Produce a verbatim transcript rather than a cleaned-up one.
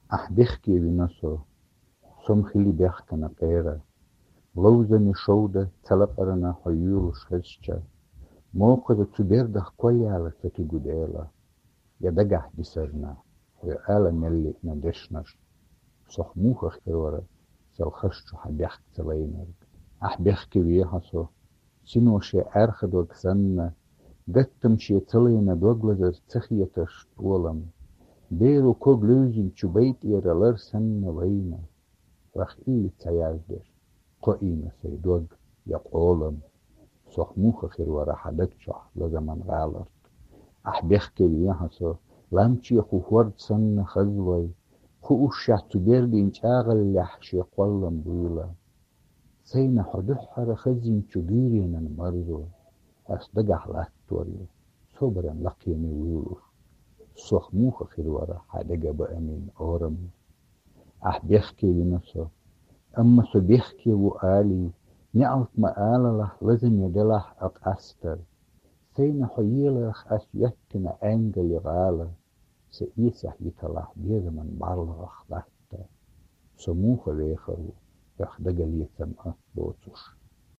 Ахь бехке вина со, со-м хили бехкана къера. Ловзаме шовда ца лакъарна хьо юьйлуш хезча. Мокхаза цу бердах кхоллала ца туьгу Дела. Я дагахь дисарна, хьо ала мел лиъна дешнаш. Сох муха хир вара, сел хаш чу хьан бехк ца лайнарг. Ахь бехке вехьа со, сино шен аьрха дог санна, гаттам шен ца лайна дог лазар ца хеташ тӀолам. Беру ког левзинчу байтӀера лар санна вайна. Вах и ца яздеш, кхоийна сай дог я къолам. Сох муха хир вара хьан даг чохь лазаман гӀаларт. Ахь бехке вехьа со, ламчеху хӀорд санна хазлой, хууш шаьш цу бердин чӀагӀаллехь шен кхоллам буйла. Сайна хьо дуьххьара хазинчу гуьйренан марзо, ас дагахь латтор ю, собаран лакхене вуьйлуш. Сох муха хир вара хьан дега баамин орам. Ахь бехке вина со, амма со бехке ву алий, неӀалт ма алалахь, лазаме делахь а къастар. Сайна хьо еларх ас йоьттина Ӏенгали гӀала, са эсехь йиталахь безаман бӀарлагӀах латта. Со муха вехар ву, хьох дагалецам а боцуш.